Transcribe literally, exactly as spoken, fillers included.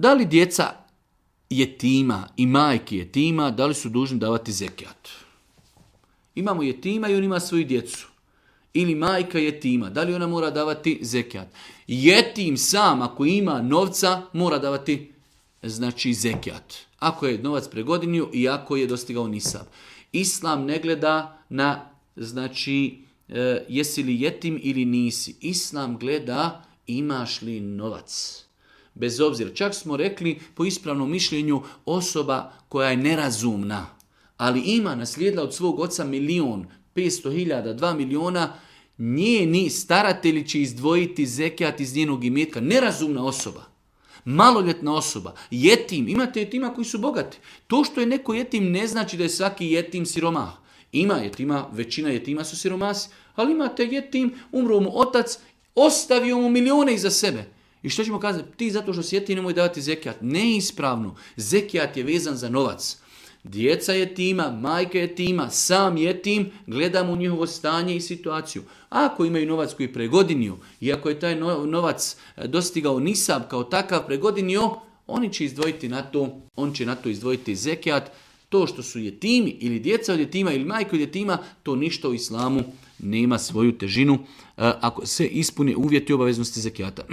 Da li djeca jetima i majke jetima, da li su dužni davati zekijat? Imamo jetima i on ima svoju djecu. Ili majka jetima, da li ona mora davati zekijat? Jetim sam, ako ima novca, mora davati znači zekijat. Ako je novac pregodinio i ako je dostigao nisab. Islam ne gleda na, znači, e, jesi li jetim ili nisi. Islam gleda imaš li novac. Bez obzira, čak smo rekli po ispravnom mišljenju osoba koja je nerazumna, ali ima naslijedila od svog oca milion, petsto hiljada, dva miliona, njeni staratelji će izdvojiti zekijat iz njenog imetka. Nerazumna osoba, maloljetna osoba, jetim. Imate jetima koji su bogati. To što je neko jetim ne znači da je svaki jetim siromah. Ima jetima, većina jetima su siromasi, ali imate jetim, umro mu otac, ostavio mu milijone iza sebe. I što ćemo kazati? Ti zato što si jetim nemoj davati zekijat. Neispravno. Zekijat je vezan za novac. Djeca jetima, majka jetima, sam jetim, gledamo u njihovo stanje i situaciju. Ako imaju novac koji je pregodinio i ako je taj novac dostigao nisab kao takav pregodinio, oni će izdvojiti na to, on će na to izdvojiti zekijat. To što su jetimi ili djeca od jetima ili majka od jetima, to ništa u islamu nema svoju težinu ako se ispune uvjeti obaveznosti zekijata.